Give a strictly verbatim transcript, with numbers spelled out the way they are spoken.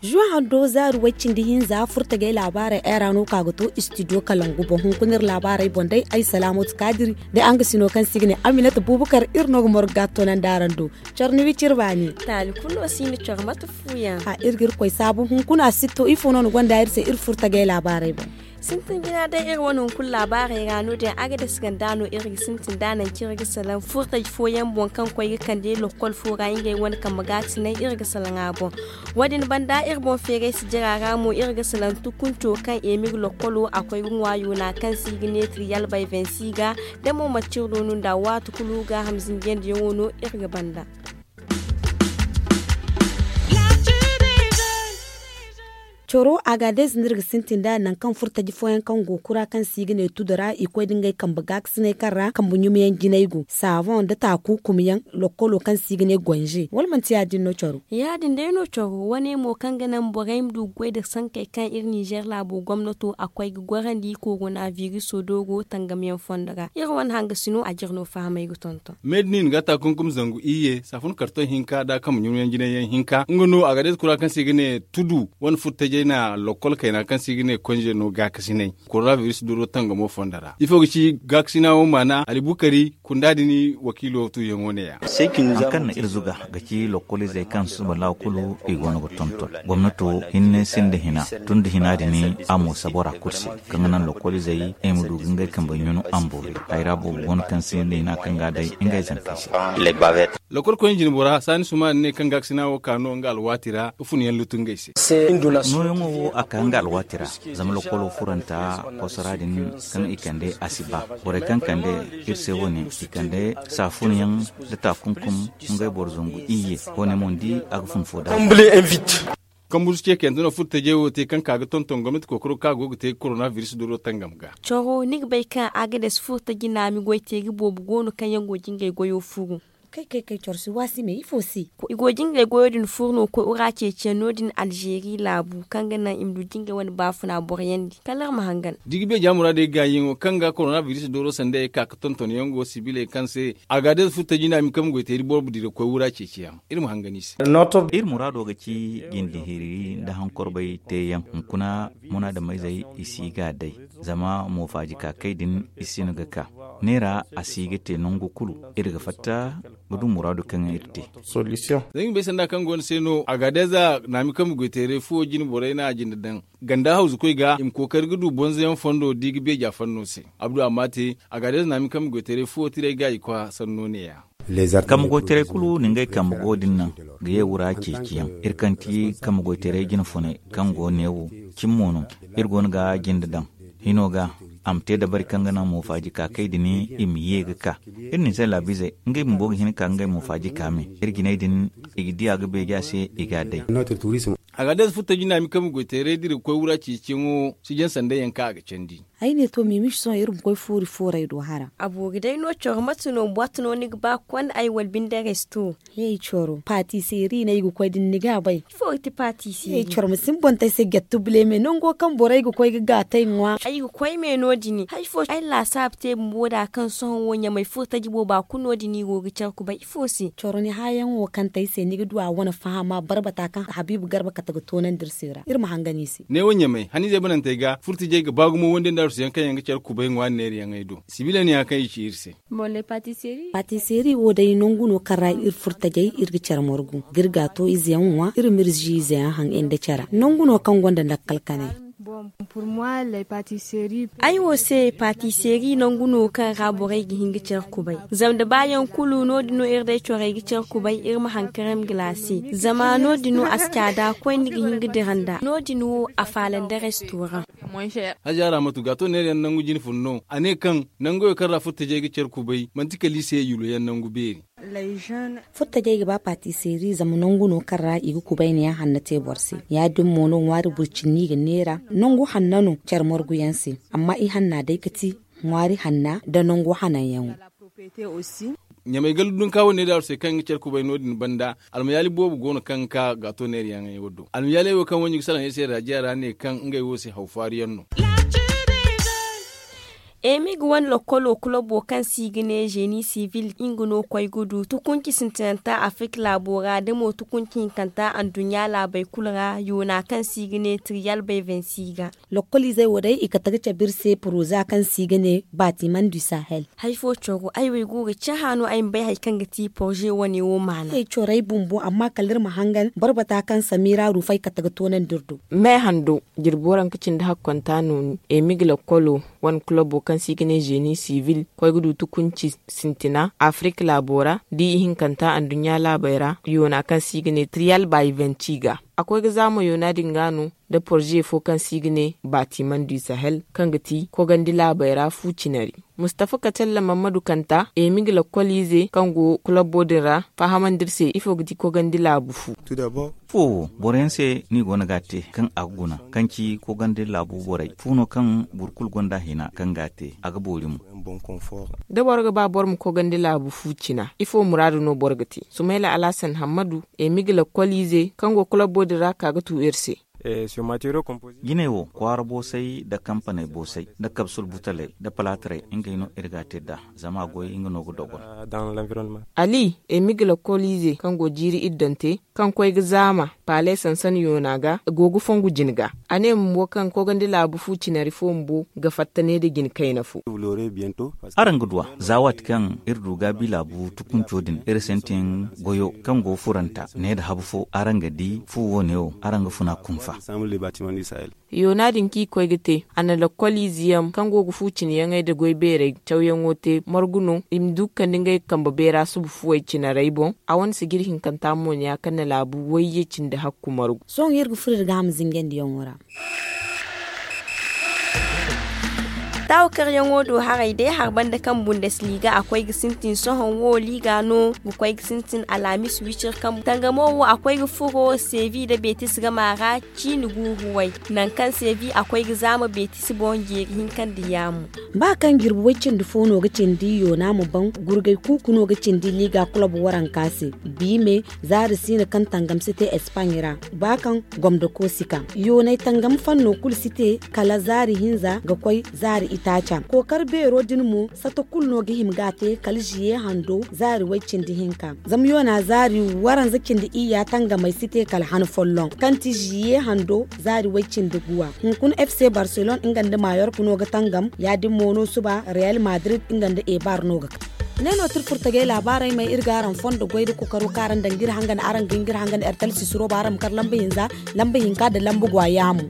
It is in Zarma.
Zuwa hando zaari way cindi hinza furtajey laabaarey era no ka ga to istidiyo kalangu boŋ hunkuna iri laabaarey boŋ day ay salaamatu kaadiri, da araŋ ga sino kaŋ se i ga ne aminata buubakar iri no ga morgu ga a toonandi araŋ do. Coro ni wi ciri baani. Taali kulu no si ni coro mate fuuyaŋ. A iri ga iri koy saabu hunkuna a si to ifo no ni gonda iri se iri furtajey laabaarey boŋ. Sintin jina day iri wane hunkuna laabaarey ra no- din a ga dasi ganda no iri ga sintin da naŋ kaŋ iri ga salaŋ furtaji fooyaŋ boŋ kaŋ koy ga kande lokkol fo ra ngey wane kambe ga ti naŋ iri ga salaŋ a boŋ. Wo- din banda iri boŋ feeray si jira ra mo iri ga salaŋ tukunco kaŋ emir lokkolo a koy ga ŋwaayo na kaŋ se i ga ne triyal bay vensi ga. Da mo manti iri do no nda waati kulu gaaham zinjandiyaŋo no iri ga banda. Coro agadez no iri ga sintin nd'a nangu kaŋ furo taji fooyaŋ kaŋ go kura kaŋ se i ga ne tudo ra i koy nda ngey kambe gaakasinay kaŋ ra kambe ɲumayaŋ jinay go saaboŋ nda taaku kumiyaŋ lokkolo kaŋ se i ga ne gonze wala manti ya- din no coro? Ya- din day no coro wane mo kaŋ ga naŋ borey ma du ga goy nda sankey kaŋ iri ninzeer laabo gomnato a koy ga gorandi korona biriso do go tangamyaŋ fondo ra iri wane hangasino a jire no fahamay ga tonton. Mednin ga ta kunkum zangu iyye saafun karton hinka da kambe ɲumayaŋ jinay yaŋ hinka nga no agadez kura kaŋ se i ga ne tudu wane furo tajey na lokkol kayna kaŋ se i ga ne konze no gaakasinay koronabiris duro tangamo fondo ra ifo ga ci gaakasina wo maana alibukari kunda din wakiilo tuuyaŋo ne- ya. Hari kaŋ na iri zuga ga ci lokkol izey kaŋ suba laawa kulu i go no ga tonton gomnato hinne sinda hina tun da hina din a mo sabora kulu se kaŋ ga naŋ lokkol izey i ma du ga ngey kambe ɲunu a ma boori. Hayra boobo go no kaŋ sinda hina kaŋ ga a day ngey zankey se. Lokol koyne jinbora saani sumaani ne kaŋ gaakasina wo ka no nga alwaati ra ga fun yaŋ lutu ngey se. Nooyaŋo wo a ka nga alwaati ra zama lokolo furanta kosora din kaŋ i kande a si ba borey kaŋ kande iri se wo- ne i kande saafunyaŋ nda taakunkum ngey boro zangu iyye. Wo- ne mo ni di a ga fun fo da. Kambusu ce kayante no furo tajey wo te kaŋ ka ga tonton gomnati kookaro kaŋ a go ga te koronabiris duro tangam ga. Coro ni ga bay kaŋ agades furo taji naami goy teeri boobo go no kaŋ yaŋ go ga ngey goyo furu. Kay kay kay coro si waasi me ifo se? I go ga ngey goyo din furu no ga koy wura ceeciyaŋ no- din alzeeri laabu kaŋ ga naŋ i ma du ga ngey wane baafuna boroyaŋ di kala iri ma hangan. Da i ga beeja muraadey gaayiyaŋo kaŋ ga koronabiris doro sanda i ka ga tonton yaŋ go sibiley kaŋ se agades furo taji naami kaŋ ma goy teeri boro dira ga koy wura ceeciyaŋ. Iri ma hangan i se. Iri muraado ga ci jinde hiri nda hankorbay teeyaŋ hunkuna munaadameyzey i si ga a day. Zama moofaaji kaakay din i si no ga ka neera a si ga te nangu kulu. Iri ga fatta ga du muraadu kaŋ iri te. Zangi bay sanda kaŋ go ni se no agadeza naami kaŋ ma goy teeray fuwo jine borey na a jinde daŋ ganda hawzukoy ga i ma kookari ga du bonzoyaŋ fondo da i ga beeja fanno se. Abdu amma te agadeza naami kaŋ ma goy teeray fuwo tiray ga i kwa sanno ne- ya. Kambe goytaray kulu na ngey kambe go din naŋ ga ye wura ceeciyaŋ. Iri kaŋ ti kambe goytaray jine funay kaŋ go neewo cimi mo no. Iri go no ga jinde daŋ hino ga a ma te dabari kaŋ ga naŋ moofaaji ka kay din i ma ye ga ka. Iri na i se laabiizey ngey bumbo ga hin ka ngey moofaaji ka me. Iri jinay din i ga di a ga beeja se i ga a day. Agadez furo taji naami kaŋ ma goytaray dira ga koy wura ceeciyaŋo si jaŋ sanda yaŋ kaŋ a ga candi. Ay ne to mimiši sohõ iri ma koy fuuri fooray do hara. A boori day no coro mate no bwat no ni ga ba ga konda ay wala binde resto? Hey coro patiseri no ay ga koy da ni ga bay. Ifo ga ti patiseri? Coro ma si ni boŋ te ay se jattu bile me nango kaŋ borey ga koy ga gaatay ŋwa. Ay ga koy me no- din hay fo ay laasaabu te bumbo da kaŋ sohõ wo ɲamay furo taji booba kulu no- din i go ga care kubay ifo se? Coro ni haayaŋo kaŋ te ay se ni ga du a wane fahama barbata kaŋ habiibu garba kate ga toonandi iri se ra iri ma hangan i se. Neewo ɲamay haniizey banantey ga furtijey ga ba gumo wande nda arsuyaŋ kaŋ yaŋ ga care kubay ŋwa neerayaŋey do. Sibiila ne ya kaŋ i ci iri se. Patiseri wo day nangu no kaŋ ra iri furtajey iri ga care margu ga iri gaato izeyaŋ ŋwa iri ma iri zi izeyaŋ haŋ nda care nangu no kaŋ gonda lakkal kanay. Ay wo se patiseri nangu no kaŋ ra borey ga hin ga care kubay. Zama da ba yaŋ kulu no- din no iri day corey ga care kubay iri ma hankaraŋ galaase. Zama no- din no a si caada koyne ga hin ga dira nd'a no- din wo a faala nda restoraŋ. Haja ramatu gaato neerayaŋ nangu jine fun no a ne kaŋ nangoyo kaŋ ra furtajey ga care kubay manti kala i se yuloyaŋ nangu beeri. Furtajey ga ba patiseri zama nangu no kaŋ ra i ga kubayniyaŋ hanno te boro se. Ya- din mo no ŋwaari burcinni ga neera nangu hanno no care marguyaŋ se. Amma i hanna day ga ti ŋwaari hanna nda nangu hananyaŋo. Ɲamay gala dunka wane da aru se kaŋ ga care kubay no- din banda, almayaali boobo go no kaŋ ga ka gaato neerayaŋey wo do. Almayaaley wo kaŋ wo ɲugu salaŋey se raajiya ra ne kaŋ ngey wo se haw faari yaŋ no. Eemig wane lokkolo kulobo kaŋ se i ga ne zeeni sivil nga no koy ga du tukunci sintinanta afirik laabo ra da mo tukunci hinkanta anduɲɲa laabey kulu ra yoona kaŋ se i ga ne tiriyal bay vensi ga. Lokkoliizey wo day i kate ga cabe iri se poroza kaŋ se i ga ne baatiman du sahel. Hari fo coro ay wo ay go ga cahã no ay ma bay hari kaŋ ga ti poroze wane wo maana. Ay corey bumbo amma kala iri ma hangan boro bata kaŋ samira ruufay kate ga toonandi iri do. Me hando jirbi waranka cindi hakkonta nooni emig lakkolo wane kulobo kaŋ se i ga ne zeeni sivil koy ga du tukunci sintina afirik laabo ra da ihinkanta anduɲɲa laabey ra yoona kaŋ se i ga ne triyal bayventi ga. A koy ga zaama yoona din ga no nda poroze fo kaŋ se i ga ne baatiman du sahel kaŋ ga ti kogandi laabey ra fu cinari. Mustafa katella mammadu kanta emig lakkoliize kaŋ go kulabbo din ra fahamandi iri se ifo ga ti kogandi laabu fu. Fu wo boro yaŋ se no i go no ga a te kaŋ a ga guna kaŋ ci kogandi laabu borey fu no kaŋ boro kulu gonda hina kaŋ ga a te a ga boori mo. Da boro ga ba boro ma kogandi laabu fu cina ifo muraadu no boro ga te sumayla alhasan hammadu emig lakkoliize kaŋ go kulabbo din ra ka ga tu iri se. Jiney wo kwaara boosay nda kampaney boosay nda kabsul butaley nda palaatarey ngey no iri ga a te nd'a. Zama a goy nga no ga dogon. Ali emig lakkoliize kaŋ go jiiri iddante kaŋ koy ga zaama paale sansan yoona ga go ga fongu jine ga. A ne bumbo kaŋ kogandi laabu fu cinari fo bumbo ga fatta ne nda jine kayna fo. Araŋ ga du a za waati kaŋ iri du gaabi laabu tukunco din iri sintin goyo kaŋ go furanta ne nda habu fo araŋ ga di fu wo- ne wo araŋ ga funa kunfa. Yoona din kaŋ i koy ga te a na lakkol ize yaŋ kaŋ go ga fu cine yaŋey nda goy beerey cawyaŋo te margu no i ma du ga kande ngey kambe beera suba fuwey cinarey boŋ. A wane sijiri hinkanta mo ne ya kaŋ na laabu wayye cindi hakku margu. Sohõ iri ga furo iri ga a ma zinjandiyaŋo ra. Taawa karyaŋo do haray day hari banda kaŋ bundesliga a koy ga sintin sohõ wo liga no ga koy ga sintin alhamis wicir kaŋ tangamo wo a koy ga furo sevi nda betis gama ra ciini guuru way. Nangu kaŋ sevi a koy ga zaama betis boŋ jeeri hinka nda yaamu. Ba kaŋ jirbi way cindi fo no ga cindi yoona ma ban gurgay kuuku no ga cindi liga kulob waranka se. Biime zaari siina kaŋ tangam si te espaaɲ ra ba kaŋ gomdo ko si ka yoonay tangam fanno kulu si te kala zaari hinza ga koy zaari itaaca kookar beero din mo sato kulu no ga hima ga a te kala ziye hando zaari way cindi hinka. Zama yoona zaari waranza cindi iyya tangamey si te kala han folloŋ kaŋ ti ziye hando zaari way cindi guwa. Hunkuna fc barcelone nga nda mayork no ga tangam ya- din mo no suba real madrid nga nda ebar no ga ka. Ne no tir furtagay laabaarey may iri ga araŋ fondo goy nda kokaro kaŋ araŋ daŋ ga iri hangan araŋ ga hin ga iri hangan ertel sisiro ba araŋ ma kar lamba hinza lamba hinka nda lamba gwa yaamu.